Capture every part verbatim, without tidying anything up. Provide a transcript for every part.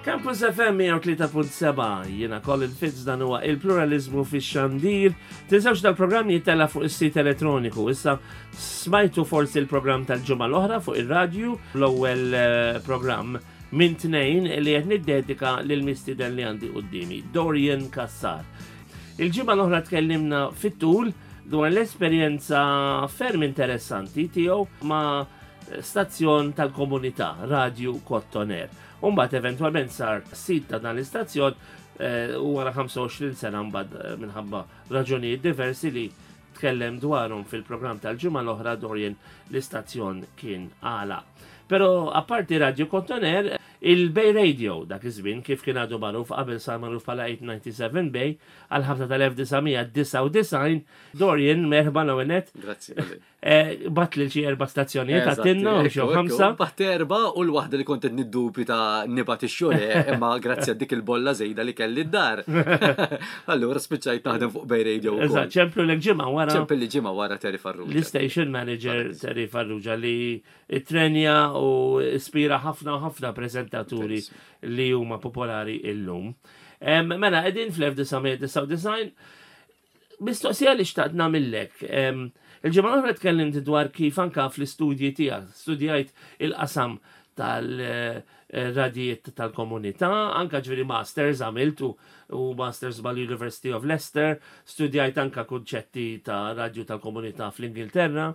Campus F M mija u tlieta punt seba', jiena Colin Fitz, dan huwa il-pluralizmu fix-xandir. Tinsewx, dal-programm jittella fuq is-sit elettroniku. Issa smajtu forsi l-programm tal-ġimgħa l-oħra fuq ir-radju, l-ewwel eh, programm minn tnejn li qed niddedika lil mistieden li għandi qudiemi, Dorian Cassar. Il-ġimgħa l-oħra tkellimna fit-tul dwar l-esperjenza ferm interessanti tiegħu ma' stazzjon tal-komunità, Radio Kottoner. Umbagħad eventwalment sar sid ta' dan l-istazzjon eh, u wara ħamsa u għoxrin sena mbagħad eh, minħabba raġunijiet diversi li tkellem dwarhom fil-programm tal-ġimgħa l-oħra Dorian, l-istazzjon kien għala. Pero apparti Radio Kottoner, il-Bay Radio, dak iż-żmien kif kien għadu magħruf qabel sar magħruf bħala tmien tnejn seba' Bay, għal ħabta tal-elf disa' mija disgħa u disgħin. Dorian, merħba l-ewwel. Grazzi. Colin. Eh, Bgħatt lil xi erba' stazzjonijiet għattinna u xi ħamsa. Bgħatt erba' u l-waħda li kont qed niddubita ta' nibgħat ix-xogħol, imma grazzi għal dik il-bolla żejda li kelli d-dar. Allura spiċċajt naħdem fuq Bay Radio wkoll. Eżatt, ċemplu lek ġimgħa wara. Ċempel li ġimgħa wara Terry Farrugia. L-station manager Terry Farrugia li trenja u ispira ħafna u ħafna prezentaturi li huma popolari illum. Em, Mela, qegħdin fl-elf disa' mija disgħa u disgħin, mistoqsija li xtaqt nagħmillek. Em, Il-ġimgħa l-oħra tkellimt dwar kif anka fl-istudji tiegħek studjajt il-qasam tal-radijiet tal-komunità, anka ġifieri masters għamilt u, u masters mal-University of Leicester, studjajt anka kunċetti ta' radju tal-komunità fl-Ingilterra.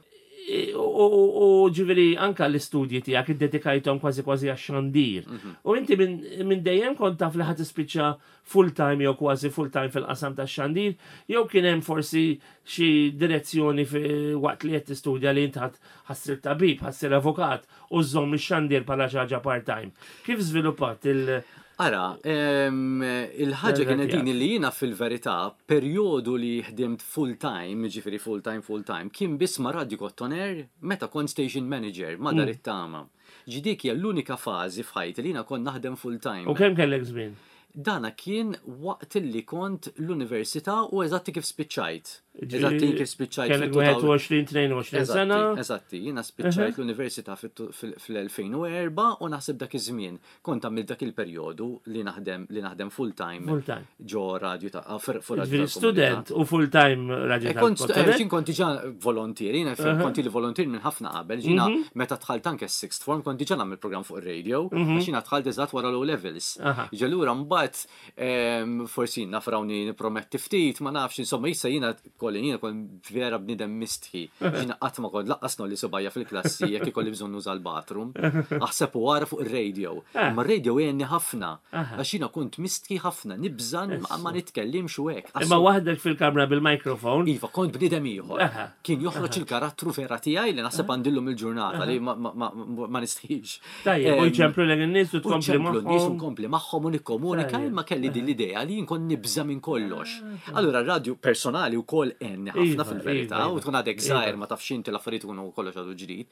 U, u, u ġifieri anka l-istudji tiegħek iddedikajthom kważi kważi għax-xandir. U inti minn min dejjem kont taf li ħa tispiċċa full-time jew kważi full-time fil-qasam tax-xandir, jew kien hemm forsi xi direzzjoni fi waqt li qed tistudja li int ħa ssir tabib, ħa ssir avukat u żżomm ix-xandir bħala xi ħaġa part-time? Kif żviluppat il- Ara, em, il-ħaġa kienet din tiegħek? li jiena fil-verità perjodu li ħdimt full-time, ġifieri full-time, full-time, kien biss ma' Radio Kottoner meta kont station manager ma' Dar it-Tama. Ġidik hija l-unika fażi f'ħajti li jiena kont naħdem full-time. U kemm kellek żmien? Dana kien waqt li kont l-università u eżatti kif spiċċajt. Eżatti kif spiċċajt. Kellek fil- wieħed u għoxrin, tnejn u għoxrin sena. Eżatti, jiena spiċċajt l-università fil-elfejn u erbgħa u naħseb dak iż-żmien kont għamilt dak il-perjodu li naħdem li naħdem full time Full time. ġo radio ta' ah, fir- fuq radio Ġifieri tal-komunità. student u full-time radio Eh, Kont tal-Kottoner? eh, kont diġà volontier, jiena kont li volontier minn ħafna qabel, jiena meta dħalt anke s-sixth form kont diġà nagħmel program fuq ir-radio, għax jiena dħalt eżatt wara l-O levels. Aha. Ġallura mbagħad em, forsi nafrawni niprometti ftit, ma nafx, insomma, issa jiena kolli jiena kont vera bniedem mistħi. Jiena qatt ma kont lanqas ngħolli subgħajja fil-klassi jekk ikolli bżonn nuża l-bathroom. Aħseb u wara fuq ir-radio. Ma r-radio għenni ħafna, għax jiena kont mistħi ħafna, nibżan ma ma nitkellimx u hekk. Imma waħdek fil-kamra bil-mikrofon. Iva, kont bniedem ieħor. Aha. Kien joħroġ il-karattru vera tiegħi li naħseb għandillum il-ġurnata li ma- ma ma- ma nistħix. Tajjeb, u Em, jċemplu lek in-nies u U tkompli ċemplu n-nies u magħhom. nkompli magħhom u nikkomunika, Tajjeb. imma kelli din l-idea li nkun nibża minn kollox. Allura r-radju personali wkoll għenni ħafna Iva, fil-verità iva, u iva. tkun għadek żgħir, ma tafx inti, l-affarijiet ikunu kollox għadu ġdid.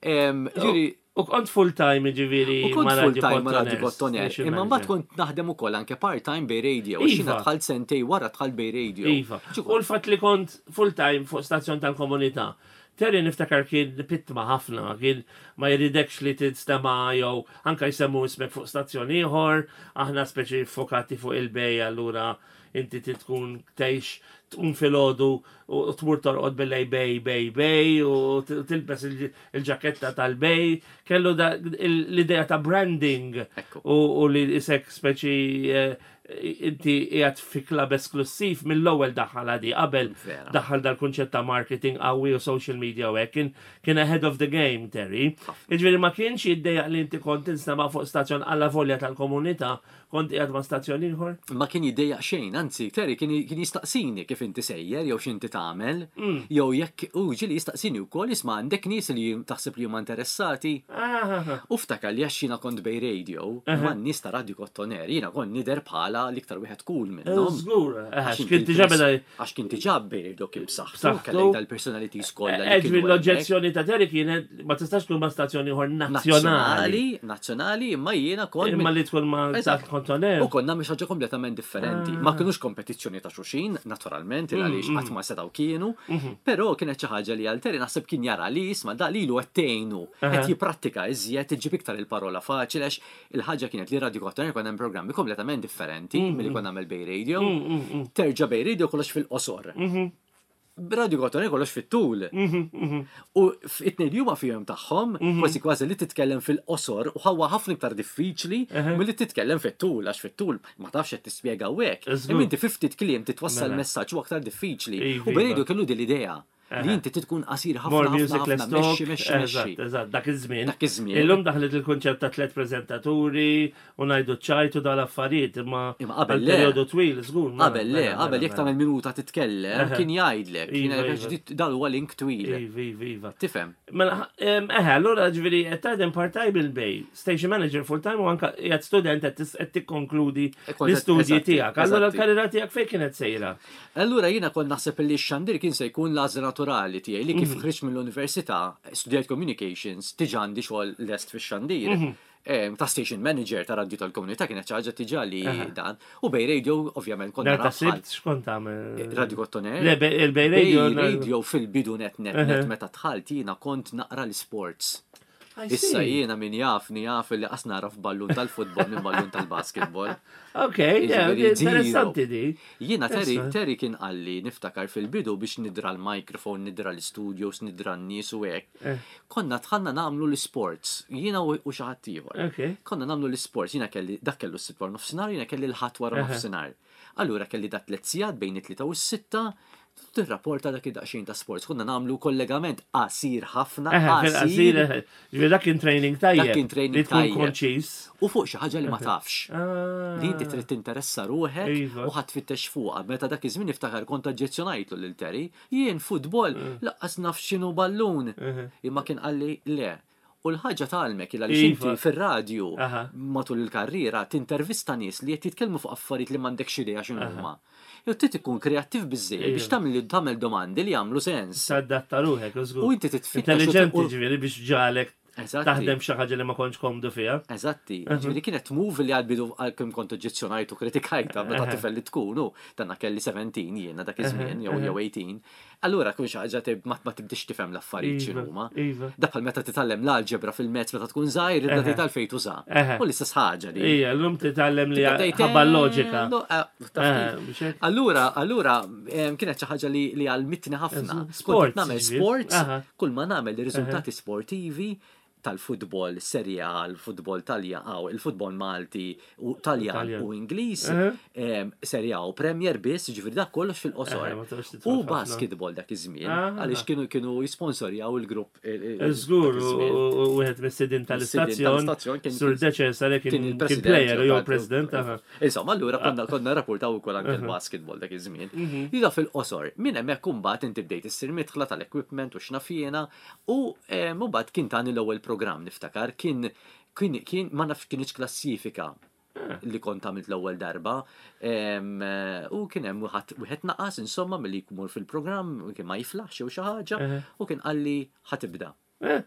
Em, Ġifieri U kont full-time ġifieri U kont ma' Radio full time ma' Radio Kottoner, Kottoner, station imma mbagħad manager. kont naħdem ukoll anke part-time Bay Radio, għax jiena Iva. dħalt sentej wara dħalt Bay Radio. Iva. U l-fatt li kont full-time fuq stazzjon tal-komunità. Terry niftakar kien pitma ħafna, kien ma jridekx li tinstema jew anka jsemmu ismek fuq stazzjon ieħor, aħna speċi fokati fuq il-Bay, allura inti trid tkun tgħix tqum filgħodu u tmur torqod bil-lejl Bay, Bay, Bay u t- tilbes il- il-ġaketta tal-Bay. Kellu da- l-idea ta' branding Ekku. u u li isek speċi eh, inti qiegħed fi klab esklusiv mill-ewwel daħal għadi qabel Vera. daħal dal-kunċett ta' marketing qawwi u social media u hekk kien kien ahead of the game Terry. Jiġifieri ma kienx jiddejjaq li inti kont tinstema' fuq stazzjon alla volja tal-komunità kont qiegħed ma' stazzjon ieħor? Ma kien jiddejjaq xejn, anzi, Terry kien kien jistaqsini kif inti sejjer, jew x'inti tagħmel, Mm. jew jekk u ġieli jistaqsini wkoll, isma', għandek nies li taħseb li huma interessati. Ah, U ftakar li għax jiena kont Bay Radio, ma' nies ta' Radio Kottoner, jiena kont nidher bħala bħala l-iktar wieħed cool minnhom. Żgur, eh, Għax kien diġà beda Għax kien diġà Bay Radio kien b'saħħtu, B'saħħtu. kellek dal-personalities kollha li Ġifieri kienu hemmhekk. l-oġġezzjoni ta' Terry kienet ma tistax tkun ma' stazzjoni ieħor nazzjonali. Nazzjonali, nazzjonali, imma jiena kont Imma li tkun ma' Eżatt. Kottoner. U konna mhix ħaġa kompletament differenti. Ah. Ma kienux kompetizzjoni ta' xulxin, naturalment, il għaliex Mm, qatt ma setgħu kienu, però kienet xi ħaġa li għal Terry naħseb kien jara li isma' da lilu qed tgħinu, qed jipprattika iżjed iġib iktar il-parola faċli għax il-ħaġa kienet li Radio Kottoner konna hemm programmi kompletament differenti milli konna nagħmel Bay Radio. Terġa' Bay Radio kollox fil-qosor. Radio Kottoner kollox fit-tul. U it-tnejn li huma fihom tagħhom, kważi kważi li titkellem fil-qosor u ħawa ħafna iktar diffiċli milli titkellem fit-tul, għax fit-tul ma tafx qed tispjega u hekk. Żgur. Imma inti fi ftit kliem titwassal Mela. messaġġ u aktar diffiċli. Iva, U Bay iva. Radio kellu din l-idea li inti tkun qasir ħafna More ħafna music, ħafna, less talk. mexxi mexxi Eżatt, mexxi. eżatt, dak iż-żmien. Dak iż-żmien. Illum daħlet il-konċett ta' tliet preżentaturi u ngħidu ċajtu dal-affarijiet, imma Imma qabel għal le. perjodu twil, żgur. mela, Qabel le, mela, qabel mela, jekk tagħmel minuta titkellem, kien jgħidlek, kien Iva, jgħidlek iva. dal huwa link twil. Iva, iva, iva. Tifhem? Mela, em, eħe, allura ġifieri, qed taħdem part-time bil-Bay, station manager full-time u anka qiegħed student qed tis- qed tikkonkludi E kont qed- l-istudji eżatti, tiegħek. Allura eżatti. l-karriera tiegħek fejn kienet sejra? Allura jiena kont naħseb li x-xandir kien se jkun l-għażla naturali tiegħi li Mhm. kif ħriġt mill-università, studjajt communications, diġà għandi xogħol lest fix-xandir. Mhm. Em, Ta' station manager ta' radju tal-komunità kienet xi ħaġa diġà li dan. U Bay Radio ovvjament konna Nhar ta' nara bħal Sibt x'kont tagħmel? Radio Kottoner. Le, be- il-Bay Bay Radio. Radio fil-bidu net net net meta dħalt jiena kont naqra l-sports. I Issa see. jiena min jafni jaf li qas naraf ballun tal-futbol minn ballun tal-basketball. Ok, yeah, Jiġifieri interessanti di. Jiena Terry, Issa. Terry kien qalli niftakar fil-bidu biex nidra l-microphone, nidra l-studios, nidra n-nies u hekk. Eh. Konna dħalna nagħmlu l-sports, jiena u u xi ħadd ieħor. Ok. Konna nagħmlu l-sports, jiena kelli dak kellu s-sitt wara nofsinhar, jiena kelli l-ħadd wara nofsinhar. Allura kelli dat tliet sigħat bejn it-tlieta u s-sitta, tirrapporta dak id-daqsxejn ta' sports. Konna nagħmlu kollegament qasir ħafna, Eħe, fil-qasir, qasir, eħe. Ġifieri dak kien training tajjeb. Dak kien training Li tkun tajjeb. konċis. u fuq xi ħaġa li ma tafx. Ah. Li inti trid tinteressa ruħek Iva. u ħadd tfittex fuqha. Meta dak iż-żmien niftakar kont oġġezzjonajtlu lil Terry, jien futbol Mm. laqqas naf x'inhu ballun. Imma kien qalli le. U l-ħaġa tgħallmek il għaliex Iva. inti fir-radju Aha. matul il-karriera tintervista nies li qed jitkellmu fuq affarijiet li m'għandekx idea x'inhu huma. Jew trid ikun kreattiv biżejjed biex Iva. tagħmel tagħmel domandi li jagħmlu sens. Sadatta ruħek, żgur. U inti titfittex u- Intelligenti u- ġifieri biex ġalek Eżatti. taħdem xi ħaġa li ma kontx komdu fiha. Eżatti, ġifieri kienet move li għal-bidu għal-kem kont oġġezzjonajt u kritikajta meta tifel li tkunu, danna kelli seventeen jiena dak iż-żmien jew jew eighteen. Allura kun xi ħaġa tib- ma ma tibdix tifhem l-affarijiet Iva, x'inhuma. iva. Da bħal meta titgħallem l-alġebra fil-mezz meta tkun żgħir, tibda tgħid għalfejn tuża. Eħe. U l-istess ħaġa li. Ija, llum titgħallem li Tibda tgħid, ħabba eh, l-loġika. lo- eh, taf Eh, kif. biex hekk. Allura, allura, em, kienet xi ħaġa li li għalmitni ħafna. Eżatt. Sports, Kont nagħmel ġifieri. sports, Aha. kull ma nagħmel riżultati sportivi tal-futbol Serie A, il-futbol Talja, aw, il-futbol Malti u Taljan Taljan. u Ingliż, Aha. em, Serie A u Premier biss, ġifieri dak kollox fil-qosor. Eh, ma toqgħodx tidħol U ħafna. basketball dak iż-żmien, Ah. għaliex kienu kienu jisponsorjaw il-grupp. il- il- Żgur, dak iż-żmien. u u wieħed mis-sidin tal-istazzjon, tal-istazzjon kien- Sur Deċesare Kien kien kien il-president. player u jew tal- president. aha. Insomma, allura konna konna rapportaw ukoll anke l-basketball dak iż-żmien. Mhm. Ida fil-qosor, minn hemmhekk imbagħad inti bdejt issir midħla tal-equipment u x'nafjena u eh, mbagħad kien tani l-ewwel programm niftakar kien kien kien ma nafx kienx klassifika Ah. li kont għamilt l-ewwel darba em, eh, u kien hemm wieħed wieħed naqas insomma milli jmur fil-programm u kien ma jiflaħx jew xi ħaġa u kien qalli ħatibda. Eh,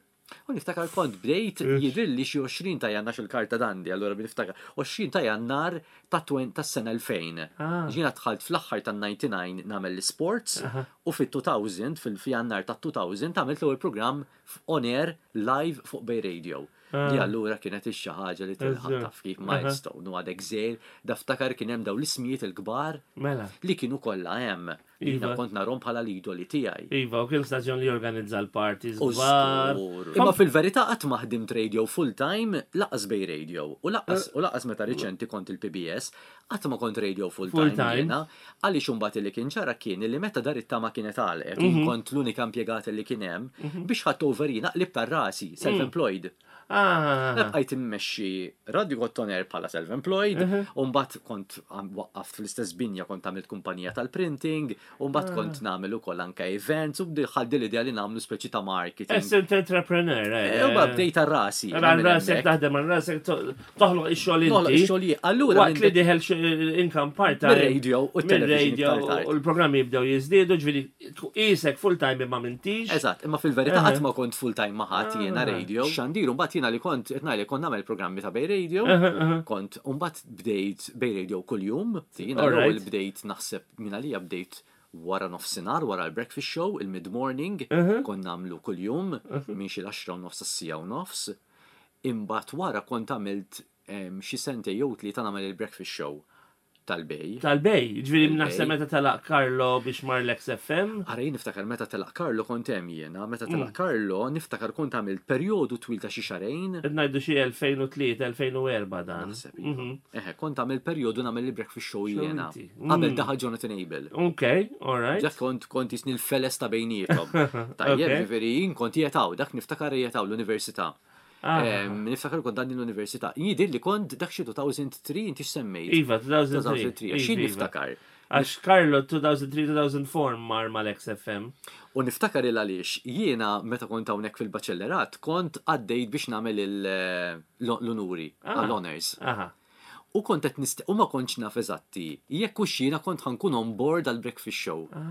U niftakar kont bdejt jidrilli xi għoxrin ta' jannar il-karta dandi, allura niftakar għoxrin ta' jannar ta' twen- tas-sena elfejn. Ah. Ġina dħalt fl-aħħar ta' disgħa u disgħin nagħmel l-sports u fit-elfejn fil-jannar ta' elfejn għamilt l-ewwel programm on air live fuq Bay Radio. Li allura kienet ix-xi ħaġa li tilħaq Eżatt. taf kif milestone u għadek żgħir, daftakar kien hemm dawn l-ismijiet il-kbar Mela. li kienu kollha hemm. Jiena Iva. kont narhom bħala l-idoli tiegħi. Iva, u kien stazzjon li jorganizza l-parties U kbar. żgur. Imma fil-verità qatt ma ħdimt radio full time lanqas Bay Radio u lanqas u lanqas meta riċenti kont il-P B S qatt ma kont radio full Full time time. jiena għaliex imbagħad li kien ġara kien li meta dar it-tama kienet għalqet jien Mhm. kont l-unika impjegat li kien hemm biex ħadd over jiena qlib tar-rasi self-employed. Ah, Ah, Bqajt immexxi Radio Kottoner bħala self-employed, u mbagħad kont għam- waqqaft fl-istess binja, kont għamilt kumpanija tal-printing, u mbagħad kont nagħmel ukoll anke events, u bdejt l-idea li nagħmlu speċi ta' marketing. Essent entrepreneur, eh. E, U mbagħad bdejt għal rasi. Għal rasek taħdem, għal rasek to- toħloq ix-xogħol Noħloq inti. ix-xogħol jien. Allura Waqt li dieħel x- income part-time. Mir-radio u t-television Mir-radio iktar tard. u l-programmi jibdew jiżdiedu, ġifieri isek full-time imma m'intix. Eżatt, imma fil-verità qatt ma kont full time ma' ħadd jiena radio. Xandir, mbagħad jiena li kont qed ngħidlek kont nagħmel programmi ta' Bay Radio, kont mbagħad bdejt Bay Radio kuljum, jiena Alright. l-ewwel bdejt naħseb minn għalija bdejt wara nofsinhar, wara l-breakfast show, il-mid-morning, kont nagħmlu kuljum minn xi l-għaxra u nofs sija u nofs. Imbagħad wara kont għamilt em, xi sentejn jew tlieta nagħmel il-breakfast show tal-Bay. Tal-Bay, ġifieri Tal-Bay. naħseb meta telaq Carlo biex mar l-X F M. Ara, jien niftakar meta telaq Carlo kont hemm jiena, meta telaq Carlo niftakar kont għamilt perjodu twil ta' xi xahrejn. Qed ngħidu xi elfejn u tlieta-elfejn u erbgħa dan. Naħseb, iva. Eħe, kont għamilt perjodu nagħmel il-breakfast show jiena. Inti. Qabel daħal Jonathan Abel. Ok, all right. Dak kont kont jisni l-feles ta' bejniethom. Tajjeb, Ok. ġifieri jien kont jetaw, dak niftakar jetaw l-università. Ah. Em, Niftakar kont dan l-università. Jidir li kont dak xi elfejn u tlieta, inti x'semmejt? Iva, elfejn u tlieta. elfejn u tlieta. Iva, Xi iva. niftakar? Għax Carlo elfejn u tlieta-elfejn u erbgħa mar mal-X F M. U niftakar il għaliex jiena meta kont hawnhekk fil-baċellerat kont għaddejt biex nagħmel il- l-onuri, Ah. għall-honors. Aha. U kont qed nist u ma kontx naf eżatti jekk hux jiena kont ħa nkun on board għal breakfast show. Ah.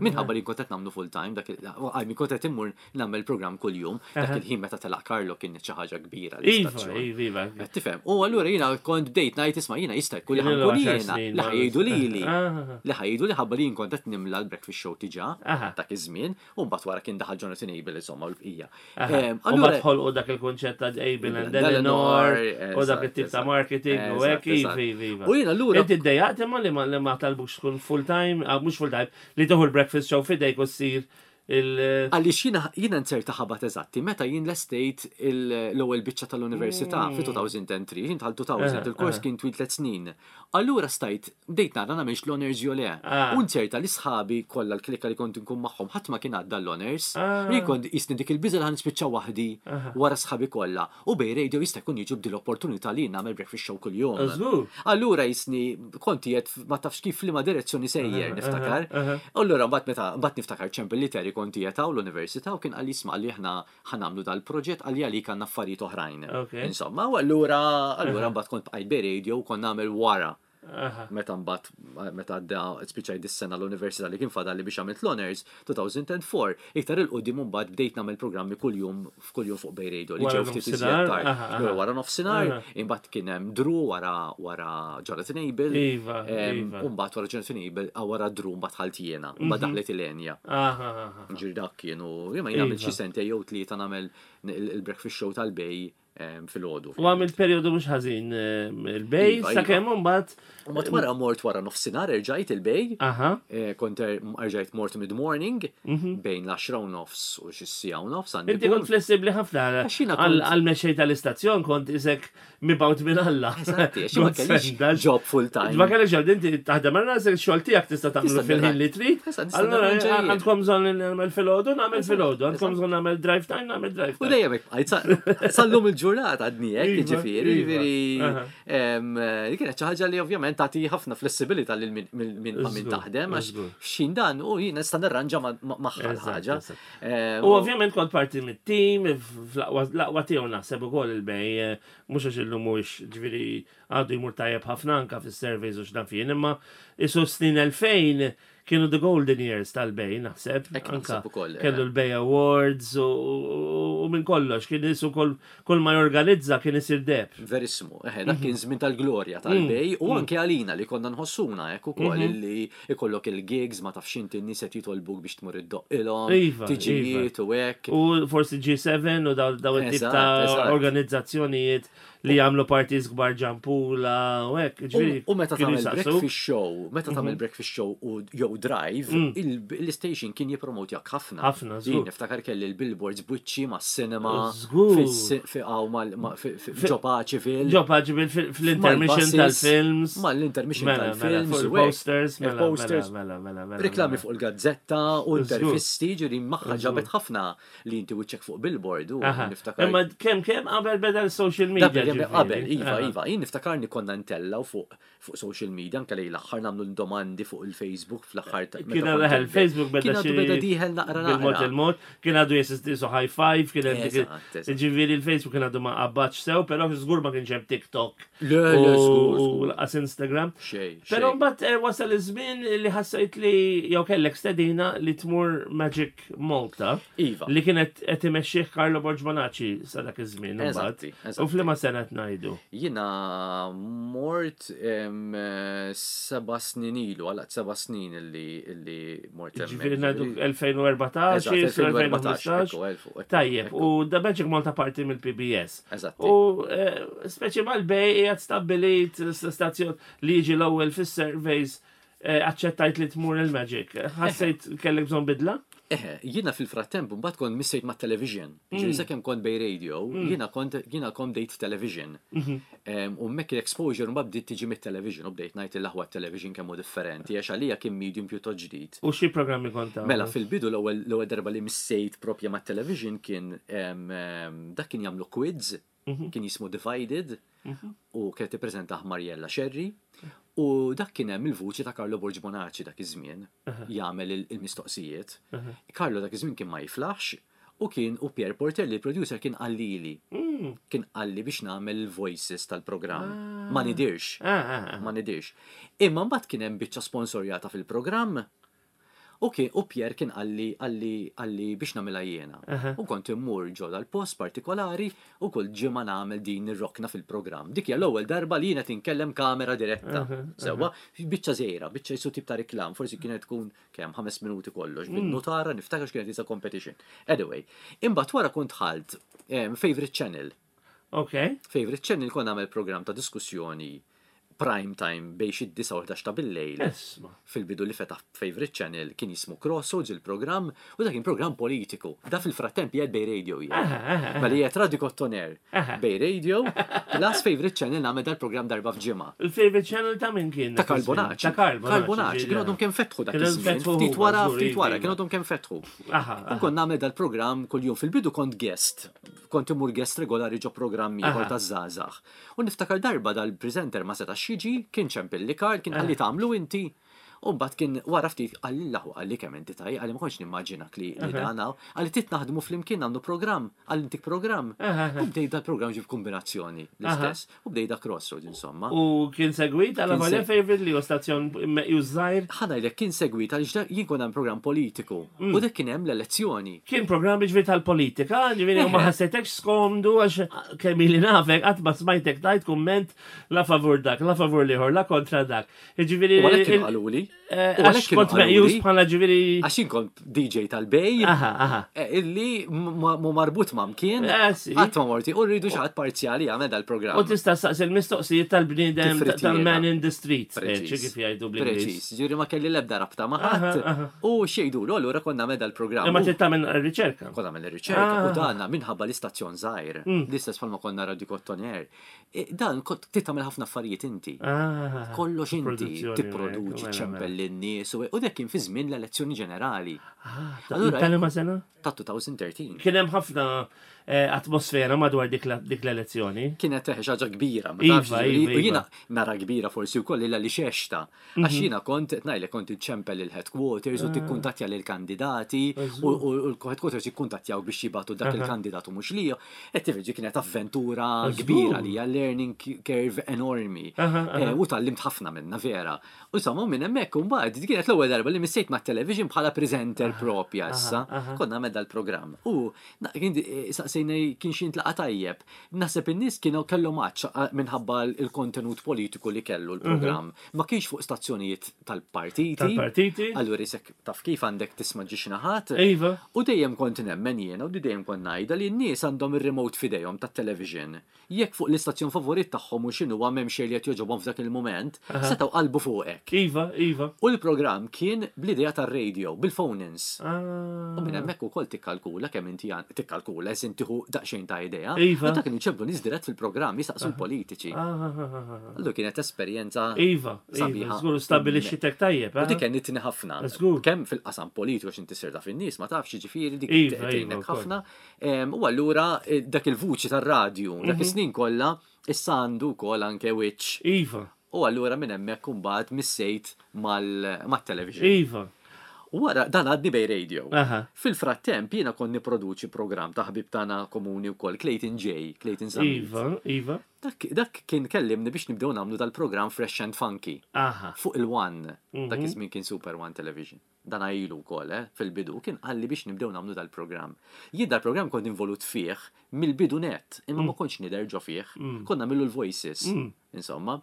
Minħabba li kont qed nagħmlu full time dak il- għaj, kont qed immur nagħmel programm kuljum, dak il-ħin meta telaq Carlo kien xi ħaġa kbira Iva, l-istazzjon. iva, iva. Qed tifhem. U allura jiena kont bdejt ngħid, isma', jiena jista' jkun li Kien ilu ħa nkun għaxar jiena snin, li ma- ħa jgħidu lili. Ah. Li ħa jgħidu li ħabba li jien kont qed nimla l-breakfast show diġà Aha. dak iż-żmien, u mbagħad wara kien daħal Jonathan Abel, insomma, u l-bqija. Aha. Em, U mbagħad ħolqu dak il-konċett ta' Abel and Eleanor u dak it-tip ta' marketing u hekk, Eżatt, iva, iva, iva. U jiena allura Inti ddejjaqt imma li ma li ma talbux tkun full time, ah, mhux full time, li tieħu l-breakfast show fidejk u ssir il- Għaliex jiena jiena nzerta ħabat eżatti meta jien lestejt il- l-ewwel biċċa tal-università fi elfejn u tlieta, jien tal-elfejn, il-kors kien twil tliet snin. Allura stajt bdejt nara nagħmilx l-honors jew le. Ah. U nzerta li sħabi kollha, l-klikka li kont nkun magħhom, ħadd ma kien għadda l-honors. Ah. Jien kont jisni dik il-biża li ħa nispiċċa waħdi wara sħabi kollha. U Bay Radio jista' jkun jiġu b'dil opportunità li nagħmel breakfast show kuljum. Żgur. Allura jisni kont jiet ma tafx kif li ma direzzjoni sejjer, niftakar. Allura mbagħad meta mbagħad niftakar ċempel li Terry, kont jetaw l-università, u kien qalli, isma', li aħna ħa nagħmlu dal-proġett, qalli għalik għandna affarijiet oħrajn. Ok. Insomma, u allura allura mbagħad kont bqajt Bay Radio u kont nagħmel wara. Aha. Meta mbagħad meta għadda spiċċajt dis-sena l-università li kien fadal li biex għamilt l-honors elfejn u erbgħa, iktar 'il quddiem mbagħad bdejt nagħmel programmi kuljum f'kuljum fuq Bay Radio li Wara ġew ftit nofsinhar, iżjed tard. aha, aha. L-ewwel wara nofsinhar, Aha. imbagħad kien hemm Drew wara wara Jonathan Abel. Iva, Em, iva. U mbagħad wara Jonathan Abel, ah, wara Drew mbagħad dħalt jiena, mbagħad daħlet Ilenia. Aha, aha. Ġir dak kienu, jema jien għamilt Iva. xi sentejn jew tlieta nagħmel il- il-breakfast show tal-Bay em, filgħodu. U għamilt periodu mhux ħażin eh, il-Bay, Iva, sakemm mbagħad. U mbagħad wara mort wara nofsinhar erġajt il-Bay. Aha. Eh, Kont er- erġajt mort mid-morning bejn l-għaxra u nofs u xi siegħa u nofs għandi Inti kont punt. flessibli ħafna Għax jiena għal kont- għal mexxej tal-istazzjon, kont isek mibgħut minn Alla. Eżatti, għax ma God kellix send us. job full time. Ma kellix job, inti taħdem għal rasek, xogħol tiegħek tista' tagħmlu Tista' fil-ħin li trid. Eżatt, nista' Allura nirranġa jien. għandkom bżonn li nagħmel filgħodu, nagħmel filgħodu, għandkom bżonn nagħmel drive time, nagħmel drive U time. dejjem hekk bqajt, sa- sal-lum il-ġurnata għadni hekk, Iva, jiġifieri, iva. jiġifieri Aha. em, eh, kienet xi ħaġa li ovvjament tagħti ħafna flessibilità lil min min min ma' min Żgur, taħdem, għax żgur. xin dan u jien nista' nirranġa ma- ma- magħha Eżatt, l-ħaġa. eżatt. Em, U ovvjament kont parti mit-tim, fl-aqwa tiegħu naħseb ukoll il-Bay, eh, mhux għax illum mhuwiex, ġifieri għadu jmur tajjeb ħafna anka fis-surveys u x'naf jien, imma isu snin elfejn kienu the golden years tal-Bay, naħseb. Hekk Anka naħseb ukoll, eh. kellu l-Bay Awards u, u, u minn kollox, kien isu kull, kull ma jorganizza kien isir deheb. Verissimo, eħe, Mhm. dak kien żmien tal-glorja tal-Bay u anke għalina li konna nħossuna hekk ukoll Mhm. li ikollok il-gigs, ma tafx inti, n-nies qed jitolbuk biex tmur iddoqqilhom, Iva, tiġijiet u hekk. U forsi G seba u daw daw it-tip Eżatt, ta' eżatt. organizzazzjonijiet li jagħmlu parties kbar Gianpula u hekk, ġifieri. U meta kienu tagħmel jisaqsu. Breakfast show, meta tagħmel breakfast show u jew drive, il- l-station kien jippromotjak ħafna. Ħafna, żgur. Jien niftakar kelli l-billboards buċċi ma' cinema. Żgur. Fi għaw ġo Paċeville. Ġo Paċeville fil-intermission tal-films. Ma l-intermission Mela, mela, tal-films. fuq u hekk. il-posters, mela, Il-posters. mela, mela, mela, Reklami mela. fuq il-gazzetta u Żgur. intervisti, ġiri maħħa ġabet ħafna li inti wiċċek fuq billboard u Aha. niftakar. Imma kemm kemm qabel beda l-social media. Qabel, ġifieri. qabel, iva, Aha. iva, jien niftakarni konna ntellaw fuq fuq social media, anke lejn l-aħħar nagħmlu domandi fuq il-Facebook fl-aħħar ta' Kien meta għadu kont il-Facebook beda Kien għadu xi- beda dieħel naqra Bil-mod naqra. il-mod, kien għadu jesisti so high five, kien hemm dik il- Eżatt, eżatt. Ġifieri il-Facebook kien għadu ma qabadx sew, però żgur ma kienx hemm TikTok. Le, le, żgur, U żgur. lanqas Instagram. Xej, Però xej. mbagħad eh, wasal iż-żmien li ħassejt li jew kellek stedina li tmur Magic Malta. Iva. Li kienet qed imexxih Carlo Borg Bonacci sa dak iż-żmien imbagħad. Eżatti, eżatti. U f'liema sena qed ngħidu. Jiena mort em, eh, seba' snin ilu, għalaqt seba' snin illi illi mort hemmhekk. Ġifieri ngħidu elfejn u erbatax, Eżatt, elfejn u erbatax, elfejn u ħmistax. ekku, elfu, ekku, Tajjeb, ekku. u da Magic Malta parti mill-P B S. Eżatti. U eh, speċi mal-Bay qiegħed stabbilit stazzjon li jiġi l-ewwel fis-surveys, eh, aċċettajt li tmur il-Magic. Ħassejt kellek bżonn bidla? Eħe, jiena fil-frattemp mbagħad kont missejt ma' television. Ġifieri sakemm kont Bay Radio, jiena kont jiena kont bdejt television. Em, U hemmhekk l-exposure mbagħad bdiet tiġi mit-television u bdejt ngħid il-aħwa television kemm hu differenti għax għalija kien medium pjuttost ġdid. U xi programmi kont tagħmel? Mela fil-bidu l-ewwel l-ewwel darba li missejt propja ma' television kien em, em, dak kien jagħmlu quiz, kien jismu Divided u kienet tippreżentah Mariella Sherry u dak kien hemm il-vuċi ta' Carlo Borg Bonacci dak iż-żmien jagħmel il- il-mistoqsijiet. Carlo dak iż-żmien kien ma jiflaħx u kien u Pierre Porter li producer kien qallili. Kien qalli biex nagħmel il-voices tal-programm. Ma nidirx. Ah, ah, ah. Ma nidirx. Imma mbagħad kien hemm biċċa sponsorjata fil-programm. U kien u Pierre kien qalli qalli qalli biex nagħmilha jiena. U kont immur ġo dal-post partikolari u kull ġimgħa nagħmel din ir-rokna fil-programm. Dik hija l-ewwel darba li jiena tinkellem kamera diretta. Sewwa, biċċa żgħira, biċċa jisu tip ta' reklam, forsi kienet tkun kemm ħames minuti kollox, bin-nutara niftakar x'kienet isa competition. Anyway, imbagħad wara kont ħalt em, Favorite Channel. Ok. Favorite Channel kont nagħmel programm ta' diskussjoni prime time bejn xi disgħa u ħdax ta' bil-lejl. Isma. Fil-bidu li fetaħ Favorite Channel kien jismu Crossroads il-programm u dak kien programm politiku. Da fil-frattemp jgħid Bay Radio jgħid. Aha, aha, Mela jgħid Radio Kottoner Aha. Bay Radio plus Favorite Channel nagħmel dal-programm darba f'ġimgħa. Il-favorite channel ta' min kien? Ta' Karl Bonacci. Ta' Karl Karl Bonacci, ġifieri, kienu għadhom kemm fetħu dak Kienu iż-żmien. fetħu Ftit huma, wara, żgur, ftit wara, iva. kienu għadhom kemm fetħu. Aha, U aha. kont nagħmel dal-programm kuljum fil-bidu kont guest. Kont imur guest regolari ġo programm ieħor Aha. ta' żgħażagħ. U niftakar darba dal-presenter ma setax jiġi, kien ċempilli Karl, kien qalli tagħmlu inti. U mbagħad kien wara ftit qalli l-aħwa qalli kemm inti taj, qalli ma kontx nimmaġinak li li dan hawn. Qalli tit naħdmu flimkien nagħmlu programm, qalli intik programm. Aha. U bdej dal-programm ġib kombinazzjoni l-istess. U bdej da Crossroads insomma. U kien segwit għala Kien volja seg- favorite li u stazzjon meqjus żgħir. Ħa ngħidlek kien segwit għaliex dak- jien kont hemm programm politiku u dak kien hemm l-elezzjoni. Kien programm ġifieri tal-politika, ġifieri u ma ħassejtekx skomdu għax kemm ili nafek qatt ma smajtek tajt kumment la favur dak, la favur l-ieħor, la kontra dak. Ġifieri U għalhekk kienu il- qaluli. eh, U għalhekk għax kienu kont meqjus qaluli. bħala ġifieri. Għax jien kont D J tal-Bay, Aha, aha. eh, illi mu marbut ma' mkien, Eh, sì. qatt ma morti, u rridu xi ħadd parzjali jagħmel dal-programm. U tista' saqsi il-mistoqsijiet tal-bniedem Tifritiera. tal-man in the street, eh, Preċiż. xi kif jgħidu bl-Ingliż. Preċiż, ġifieri ma kelli l-ebda rabta ma' ħadd. Aha, aha. U xejdu, allura konna nagħmel dal-programm. Imma U trid tagħmel riċerka. Konna nagħmel ir-riċerka Ah. u danna minħabba l-istazzjon żgħir, l-istess bħalma konna Radio Kottoner. E, Dan kont trid tagħmel ħafna affarijiet inti. Ah, Kollox inti produzzjoni, tipproduċi, mela, ċempel lin-nies u u dak kien fi żmien l-elezzjoni ġenerali Ah, Allura- tal ma sena? ta' elfejn u tlettax. Kien hemm ħafna eh, atmosfera madwar dik la- dik l-elezzjoni. Kienet teħe ħaġa kbira, ma Iva, tafx, ġifieri, iva, u jiena iva. nara kbira forsi wkoll illa li xexta. Għax jiena kont ngħidlek kont iċċempel il-headquarters u tikkuntattja lil kandidati u u l-headquarters jikkuntattjaw biex jibatu dak il-kandidat u mhux li. E tifġi kienet avventura kbira li hija learning curve enormi. Aha, aha. Eh, U tgħallimt ħafna minna vera. U insomma minn hemmhekk hemmhekk imbagħad dik kienet l-ewwel darba li missejt ma' television bħala presenter propja issa. aha. Konna għamel dal-programm. U na- kien eh, saqsejna kien xi intlaqa tajjeb. Naħseb in-nies kienu kellhom għatx minħabba il-kontenut politiku li kellu l-programm. Ma kienx fuq stazzjonijiet tal-partiti. Tal-partiti. Allura isek taf kif għandek tisma' ġiex naħat. Iva. U dejjem kont nemmen jiena u dejjem kont ngħidha li n-nies għandhom ir-remote f'idejhom tat-television. Jekk fuq l-istazzjon favorit tagħhom u x'inhu m'hemm xejn li qed jogħġobhom f'dak il-mument, setgħu qalbu fuqek. Iva, iva. U l-programm kien bl-idea tar-radio, bil-phone-ins. Ah. U minn hemmhekk ukoll tikkalkula kemm inti għan- tikkalkula eżin tieħu daqsxejn ta' idea. Iva. U dak kienu ċemplu nies dirett fil-programm jistaqsu l-politiċi. Ah, ah, ah, ah. Allura kienet esperjenza Iva, iva, sabiħa. żgur stabbilixxitek tajjeb, U dik eh? għenitni ħafna. Żgur. Kemm fil-qasam politiku għax inti sir taf in-nies ma tafx ġifieri dik Iva, iva, tgħinek wkoll. ħafna. Em, U allura eh, dak il-vuċi tar-radju, Mhm. dak is-snin kollha issa għandu wkoll anke wiċċ. Iva, U allura minn hemmhekk imbagħad missejt mal- mat-television. iva. U wara dan għadni Bay Radio. Aha. Fil-frattemp jiena kont niproduċi programm ta' ħbib tagħna komuni wkoll Clayton J, Clayton Zammit. Iva, iva. Dak, dak kien kellimni biex nibdew nagħmlu dal-programm Fresh and Funky Aha. fuq il-One. Dak Mhm. iż-żmien kien Super One Television. Dan ilu wkoll, eh, fil-bidu, kien qalli biex nibdew nagħmlu dal-programm. Jien dal-programm kont involut fih mill-bidu net, imma Mm. ma kontx nidher ġo fih. Konna nagħmlu l-voices, insomma.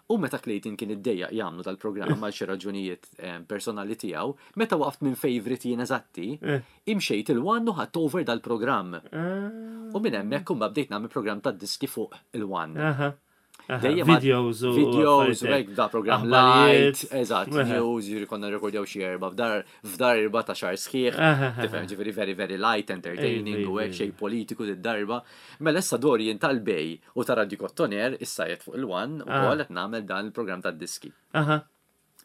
U meta Clayton kien iddejjaq jagħmlu dal-programm għal xi raġunijiet eh, personali tiegħu, meta waqft minn favorite jien eżatti, Eh. imxejt il-One u ħadt over dal-programm. Ah. U minn hemmhekk imbagħad bdejt nagħmel programm tad-diski fuq il-One. Aha. Aha. Dejjem Videos u videos u affarijiet. hekk da program Aħbarijiet. light, eżatt, Aha. news, ġifieri konna rekordjaw xi erba' f'dar f'dar erba' ta' xahar sħiħ, Aha, aha. tifhem ġifieri very very light entertaining Iva, u hekk iva, xejn politiku d-darba. Mela issa dori jien tal-Bay u ta' Radio Kottoner issa jgħid fuq il-One u Ah. qed nagħmel dan il-programm tad-diski. Aha.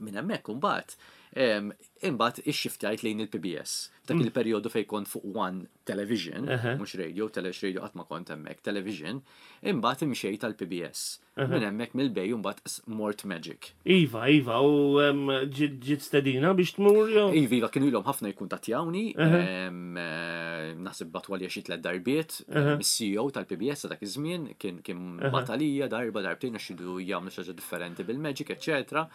Minn hemmhekk imbagħad em, imbagħad ixxiftjajt lejn il-P B S. Dak il-perjodu fejn kont fuq One Television, Mm. Aha. mhux radio, telex radio qatt ma kont hemmhekk, television, imbagħad imxejt tal-P B S. Minn hemmhekk mill-Bay imbagħad s- mort Magic. Iva, iva, u em, ġiet ġiet stedina biex tmur jew? Iva, iva, kienu ilhom ħafna jikkuntattjawni, Aha. em, eh, naħseb bagħtu għalija xi tliet darbiet, Aha. mis-C E O tal-P B S ta' dak iż-żmien kien kien bagħat għalija darba darbtejn għax iridu jagħmlu xi ħaġa differenti bil-Magic, eċċetera.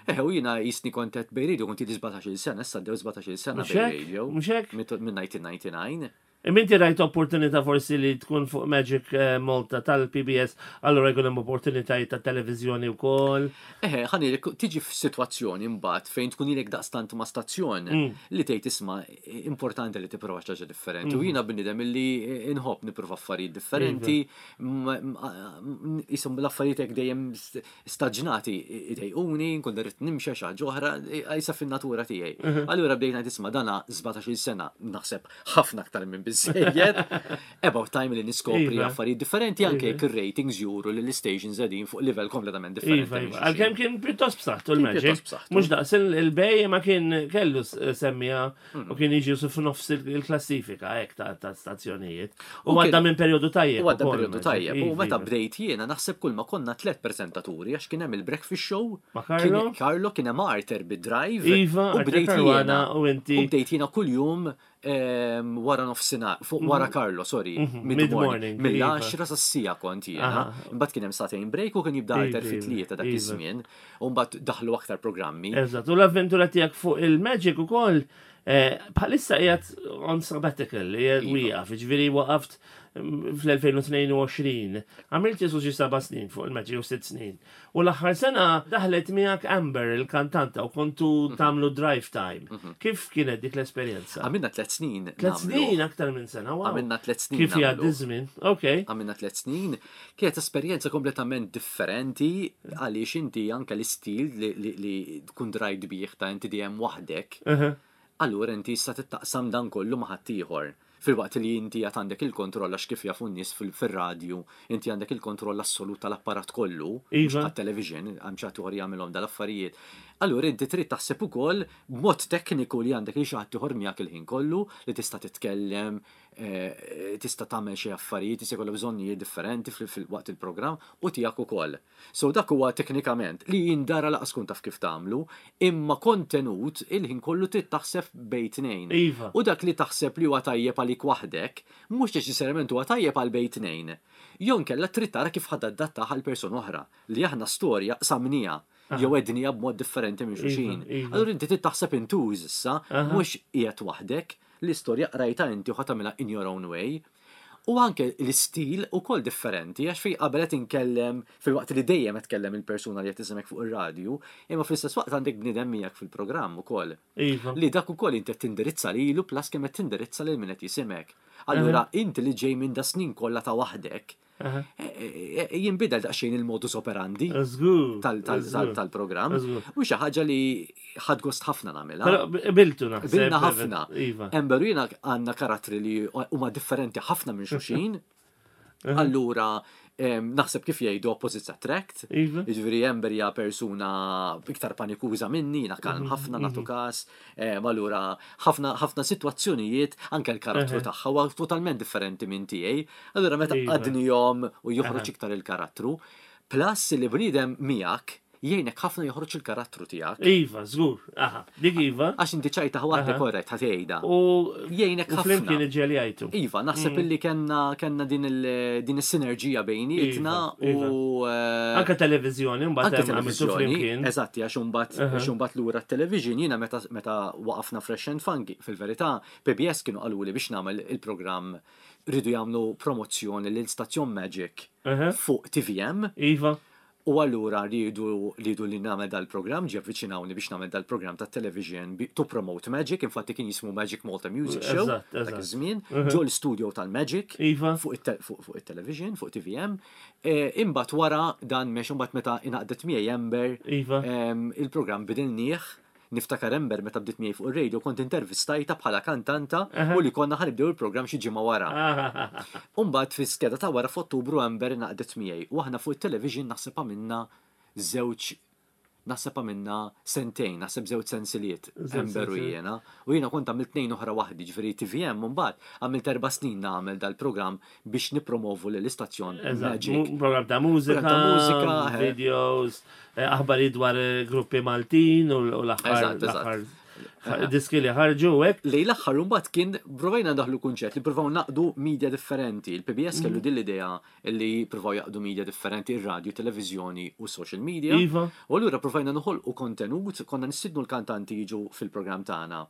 Eħe, u jiena jisni kont qed Bay Radio kont ili sbatax-il sena, issa għaddew sbatax-il sena Mhux Bay hekk? Radio. Mhux hekk? Minn elf disa' mija u disgħa u disgħin. Imma inti rajt opportunità forsi li tkun fuq Magic eh, Malta tal-P B S, allura jkun hemm opportunitajiet ta' televiżjoni wkoll. Eħe, ħani tiġi f'sitwazzjoni mbagħad fejn tkun ilek daqstant ma' stazzjon Mm. li tgħid isma' importanti li tipprova xi ħaġa differenti. Mm. U jiena bniedem illi inħobb nipprova affarijiet differenti, m- m- jisom l-affarijiet hekk dejjem st- staġnati idejquni, nkun irrid nimxi xi ħaġa oħra, jisa fin-natura tiegħi. Mhm. Allura bdejna tisma' dana sbatax-il sena naħseb ħafna aktar minn biżejjed. About time li niskopri Iva. affarijiet differenti anke Iva. jekk ir-ratings juru li l-stations qegħdin fuq livell kompletament differenti Iva, minn iva. xulxin. Għalkemm kien pjuttost b'saħħtu Kien l-Magic. pjuttost b'saħħtu. Mhux daqs il- il-Bay ma kien kellu s- semmija Mm. u kien jiġi su f'nofs il- il-klassifika hekk ta' ta' stazzjonijiet. U U għadda kien- minn perjodu tajjeb. U għadda ukoll periodu Magic. tajjeb. U Iva, meta iva. bdejt jiena naħseb kull ma konna tlet prezentaturi għax kien hemm il-breakfast show. Ma' Carlo? kien- Carlo kien hemm Arthur bid-drive. Iva, u Arthur bdejt Caruana jiena. u inti. U bdejt jiena kuljum em, wara nofsinhar, fuq wara Carlo, sorry, Mhm, mid-morning. mid-morning, iva. Mill-għaxra sas-siegħa kont jiena. Aha. Imbagħad kien hemm sagħtejn break u kien jibda Iva, Arthur fit-tlieta dak iva. iż-żmien. U mbagħad daħlu aktar programmi. Eżatt, u l-avventura tiegħek fuq il-Magic ukoll eh, bħalissa qiegħed on sabbatical, qiegħed Iva. wieqaf, ġifieri waqaft mm, fl-elfejn u tnejn u għoxrin. Għamilt jisu xi seba' snin fuq il-Magic u sitt snin. U l-aħħar sena daħlet miegħek Amber il-kantanta u kontu Mhm. tagħmlu drive time. Kif kienet dik l-esperjenza? Għamilna tliet snin. Tliet nagħmlu. snin aktar minn sena, wow. Għamilna tliet snin. Kif jgħaddi nagħmlu. żmien? Ok. Għamilna tliet snin, kienet esperjenza kompletament differenti għaliex inti anke l-istil li, li, li tkun drajt bih ta' inti dejjem waħdek, Uh-huh. allura inti issa tittaqsam dan kollu ma' ħaddieħor. Fil-waqt li inti għad għandek il-kontroll għax kif jafu n-nies fil- fil-radju, inti għandek il-kontroll assolut tal-apparat kollu, mhux Iva. television għam xi ħadd ieħor jagħmilhom dal-affarijiet. Allura inti trid taħseb ukoll b'mod tekniku li għandek li xi ħadd ieħor miegħek il-ħin kollu li tista' titkellem, eh, tista' tagħmel xi affarijiet, tista' jkollok bżonnijiet differenti fil- fil-waqt il-programm u tiegħek ukoll. So dak huwa teknikament li jindara laqas kun taf kif tagħmlu, imma kontenut il-ħin kollu trid taħseb bejn tnejn. Iva. U dak li taħseb li huwa tajjeb għalik waħdek, mhux neċessarjament huwa tajjeb għal bejn tnejn. Jew inkella trid tara kif ħa tadattah għal persuna oħra li aħna storja qsamnija. Jew għednieha b'mod differenti minn xulxin. Iva, iva. Allura inti trid taħseb in twos issa, Aha. mhux qiegħed waħdek, l-istorja qrajta inti u ħa tagħmilha in your own way. U anke l-istil ukoll differenti, għax fej qabel qed inkellem fil-waqt li dejjem qed tkellem il-persuna li qed tismek fuq ir-radju, imma fl-istess waqt għandek bniedem miegħek fil-programm ukoll. Iva. Li dak ukoll inti qed tindirizza lilu plus kemm qed tindirizza lil min qed jisimek. Allura inti li ġej minn da snin kollha ta' waħdek, Aha. e- e- e- jinbidel daqsxejn il-modus operandi Żgur. tal- tal- tal- żgur. tal-programm. Żgur. U xi ħaġa li ħadt gost ħafna nagħmilha. Però biltu naħseb. Bilna ħafna. Iva. Amber u jiena għandna karattri li huma differenti ħafna minn xulxin. Allura, em, naħseb kif jgħidu opposites attract. Iva. Jiġifieri Amber hija persuna iktar panikuża minni, jiena kalm ħafna nagħtu każ. Em, Allura, ħafna ħafna sitwazzjonijiet anke l-karattru tagħha huwa totalment differenti minn tiegħi. Allura meta Iva. għadnihom u joħroġ iktar il-karattru. Plus li bniedem miegħek jgħinek ħafna joħroġ il-karattru tiegħek. Iva, żgur. Aha, dik iva. Għax inti ċajta waħda korrett ħa tgħidha. U Jgħinek u flimkien ħafna. iġġeljajtu. Iva, naħseb Mm. illi kellna kellna din il din is-sinerġija bejnietna Iva, iva. u eh, Anka televizjoni, mbagħad anke hemm għamiltu televizjoni. flimkien. Eżatti, għax imbagħad għax imbagħad lura t-television jiena meta meta waqafna Fresh and Funky, fil-verità P B S kienu qaluli biex nagħmel il-programm, rridu jagħmlu promozzjoni lil Stazzjon Magic Aha. fuq T V M. Iva. U allura rridu rridu li nagħmel dal-programm, ġi avviċinawni biex nagħmel dal-programm ta' television bi- to promote Magic, infatti kien jismu Magic Malta Music Show Eżatt, dak eżatt. iż-żmien, ġo l-studio tal-Magic Iva. fuq it- fuq fuq it-television, fuq T V M. Eh, Imbagħad wara dan mex imbagħad meta ingħaqdet miegħi Amber, Iva. em, il-programm bidilnieh. Niftakar Amber meta bdiet miegħi fuq ir-radio kont intervistajta bħala kantanta u li konna ħa nibdew il-programm xi ġimgħa wara. Ah, Umbagħad fi skeda ta' wara f'Ottubru Amber ngħaqdet miegħi u aħna fuq it-television naħseb għamilna żewġ, naħseb għamilna sentejn, naħseb żewġ sensiliet Żewġ Amber u sensiliet. jiena. U jiena kont għamilt tnejn oħra waħdi, ġifieri T V M mbagħad għamilt erba' snin nagħmel dal-programm biex nipromovu lill-istazzjon Eżatt. Magic. Mu- Program ta' mużika, Program ta' mużika, eh. videos, eh, aħbarijiet dwar eh, gruppi Maltin u u l-aħħar Eżatt, eżatt. l-aħħar diski li ħarġu hekk. Lej l-aħħar mbagħad kien provajna ndaħlu kunċett li provaw naqdu media differenti. Il-P B S kellu din l-idea li provaw jaqdu media differenti, ir-radio, televizjoni u social media. Iva. U allura provajna noħolqu kontenut, konna nistidnu l-kantanti jiġu fil-programm tagħna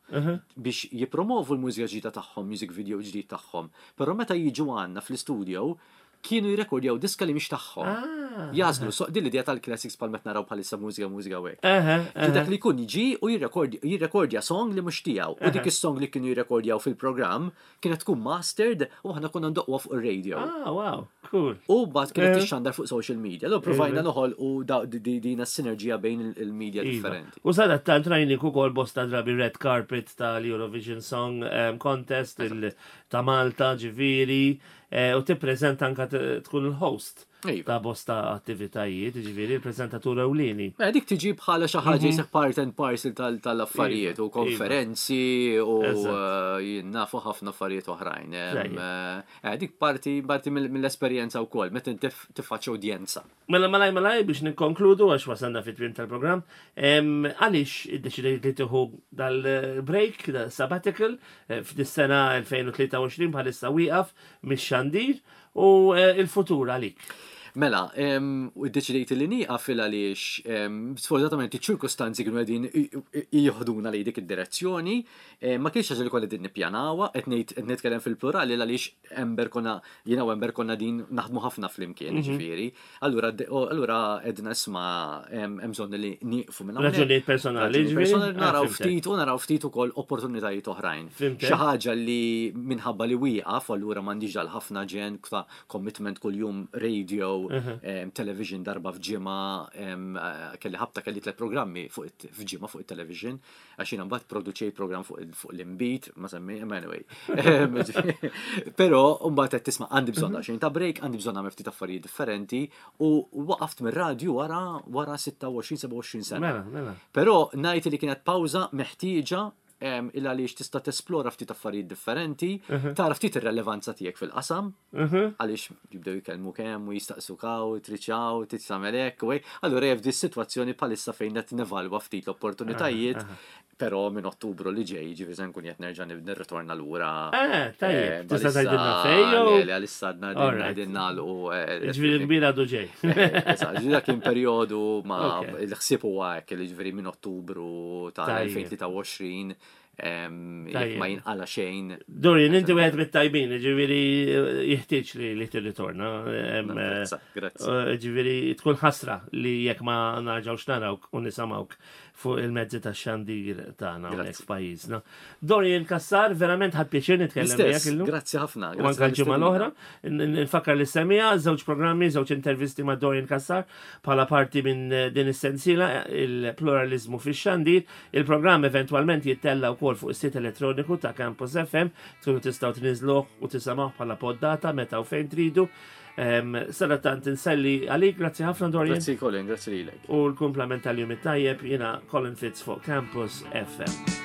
biex jipromovu l-mużika ġdida tagħhom, music video ġdid tagħhom. Però meta jiġu għandna fl-istudio, kienu jirrekordjaw diska li mhix tagħhom. Ah. Jagħżlu, so din l-idea tal-classics bħal meta naraw bħalissa mużika mużika u hekk. Aha, Ġi dak aha. li jkun jiġi u jirrekordja jirrekordja song li mhux tiegħu. U dik is-song li kienu jirrekordjaw fil-programm kienet tkun mastered u aħna konna ndoqwa fuq ir-radio. Ah, wow, cool. U mbagħad kienet Eh. tixxandar fuq social media. Allura provajna noħolqu da- di- di- din is-sinerġija bejn il- il-media Iva. differenti. U sadattant rajnik ukoll bosta drabi red carpet tal-Eurovision Song um, Contest il- ta' Malta, ġifieri, eh, u tippreżenta anka t- tkun il-host Iva. ta' bosta attivitajiet, ġifieri, il-preżentatur ewlieni. Mela dik tiġi bħala xi ħaġa jisek part and parcel tal- tal-affarijiet Iva, u konferenzi u Eżatt. eh, jien nafu ħafna affarijiet oħrajn. Em, Tajjeb. eh, Dik parti parti mill- mill-esperjenza wkoll meta inti tiffaċċja udjenza. Mela malaj malaj biex nikkonkludu għax wasalna fit-tmiem tal-programm. Em, Għaliex iddeċidejt li tieħu dal-break, dal-sabbatical, eh, f'dis-sena elfejn u tlieta u għoxrin bħalissa wieqaf mix-xandir u eh, il-futur għalik? Mela, em, u iddeċidejt li nieqaf fil għaliex em, sfortunatament iċ-ċirkostanzi kienu qegħdin i- i- jieħduna lejn dik id-direzzjoni, em, ma kienx ħaġa li konna qegħdin nippjanawha, qed ngħid qed nitkellem fil-plurali għaliex Amber konna jiena u Amber konna din naħdmu ħafna flimkien, ġifieri. Allura de- o- allura edna isma' em, hemm bżonn li nieqfu minn hawnhekk. Raġunijiet personali, Raġunijiet ġifieri? personali, Ah, naraw fhimtek. ftit u naraw ftit ukoll opportunitajiet oħrajn. Fhimtek. Xi ħaġa li minħabba li wieqaf, allura m'għandix dal ħafna ġen ta' commitment kuljum radio, em, television darba f'ġimgħa, em, eh, kelli ħabta kelli tliet programmi fuq it- f'ġimgħa fuq it-television, għax jiena mbagħad produċej program fuq il- fuq l-inbid, ma semmi, imma anyway. Em, Però mbagħad qed tisma' għandi bżonn daqsxejn ta' break, għandi bżonn nagħmel ftit affarijiet differenti u waqaft mir-radju wara wara sitta u għoxrin sebgħa u għoxrin sena. Mela, mela. Però ngħid li kienet pawża meħtieġa em, il għaliex tista' tesplora ftit affarijiet differenti, tara ftit ir-relevanza tiegħek fil-qasam, għaliex jibdew jkellmu kemm u jistaqsuk hawn, triċaw, titsamel hekk, u hekk. Allura jef di situazzjoni bħalissa fejn qed nevalwa ftit l-opportunitajiet, però minn Ottubru li ġej, ġifieri se nkun qed nerġa' nirritorna lura. Eh, tajjeb, Eh, tista' bħalissa- tgħidilna fejn jew? Le, le, għalissa għadna All right. qegħdin nagħlqu. eh, Ġifieri kbir għadu ġej. Eżatt, ġifieri dak kien perjodu ma Ok. l-ħsieb huwa hekk li ġifieri minn Ottubru tal-elfejn u tlieta u għoxrin em, jekk Tajjeb. ma jinqala xejn. Dorian, inti wieħed mit-tajbin, ġifieri jeħtieġ li li tirritorna. Em, eh, Napprezza, Grazzi. eh, Ġifieri tkun ħasra li jekk ma narġawx narawk u nisimgħuk fuq il-mezzi ta' xandir tagħna hawnhekk Grazzi. f'pajjiżna. Dorian Cassar, verament ħadt pjaċir nitkellem miegħek L-istess, illum. grazzi ħafna. U Grazzi anka l-ġimgħa l-oħra, tal-istedina. N- nfakkar li semija, żewġ programmi, żewġ intervisti ma' Dorian Cassar bħala parti minn eh, din is-sensiela il-pluralizmu fix-xandir. Il-programm eventwalment jittella wkoll fuq is-sit elettroniku ta' Campus F M, tkunu tistgħu tniżluh u tisimgħuh bħala poddata meta u fejn tridu. Em, Sadattant inselli għalik, grazzi ħafna, Dorian. Grazzi, Colin, grazzi lilek. U l-kumplament tal-jum it-tajjeb, jiena Colin Fitz fuq Campus F M.